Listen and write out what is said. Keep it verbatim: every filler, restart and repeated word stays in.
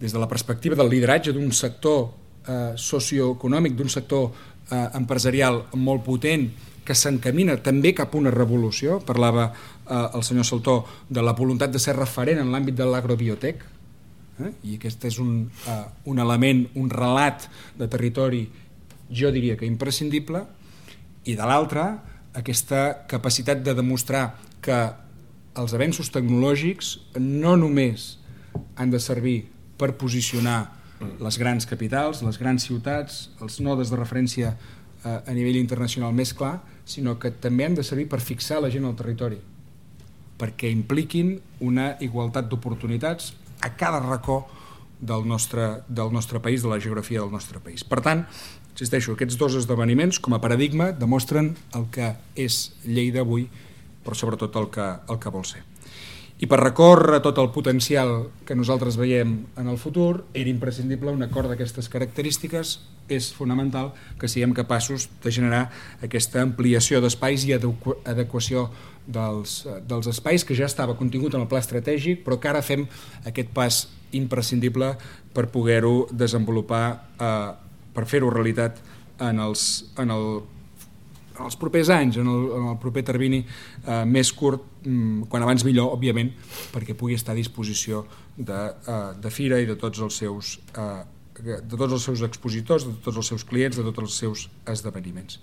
des de la perspectiva del lideratge d'un sector eh, socioeconòmic, d'un sector eh, empresarial molt potent, que s'encamina també cap a una revolució. Parlava eh, el senyor Saltó de la voluntat de ser referent en l'àmbit de l'agrobiotec, eh? I aquest és un, eh, un element, un relat de territori, jo diria que imprescindible, i de l'altra, aquesta capacitat de demostrar que els avenços tecnològics no només han de servir per posicionar les grans capitals, les grans ciutats, els nodes de referència eh, a nivell internacional més clar, sinó que també han de servir per fixar la gent al territori, perquè impliquin una igualtat d'oportunitats a cada racó del nostre, del nostre país, de la geografia del nostre país. Per tant, insisteixo, aquests dos esdeveniments com a paradigma demostren el que és Lleida avui, però sobretot el que, el que vol ser. I per recórrer tot el potencial que nosaltres veiem en el futur, era imprescindible un acord d'aquestes característiques. És fonamental que siguem capaços de generar aquesta ampliació d'espais i adequació dels, dels espais que ja estava contingut en el pla estratègic, però que ara fem aquest pas imprescindible per poder-ho desenvolupar, eh, per fer-ho realitat en els, en el en els propers anys, en el, en el proper termini eh, més curt, mm, quan abans millor, òbviament, perquè pugui estar a disposició de, eh, de Fira i de tots els seus eh, de tots els seus expositors, de tots els seus clients, de tots els seus esdeveniments.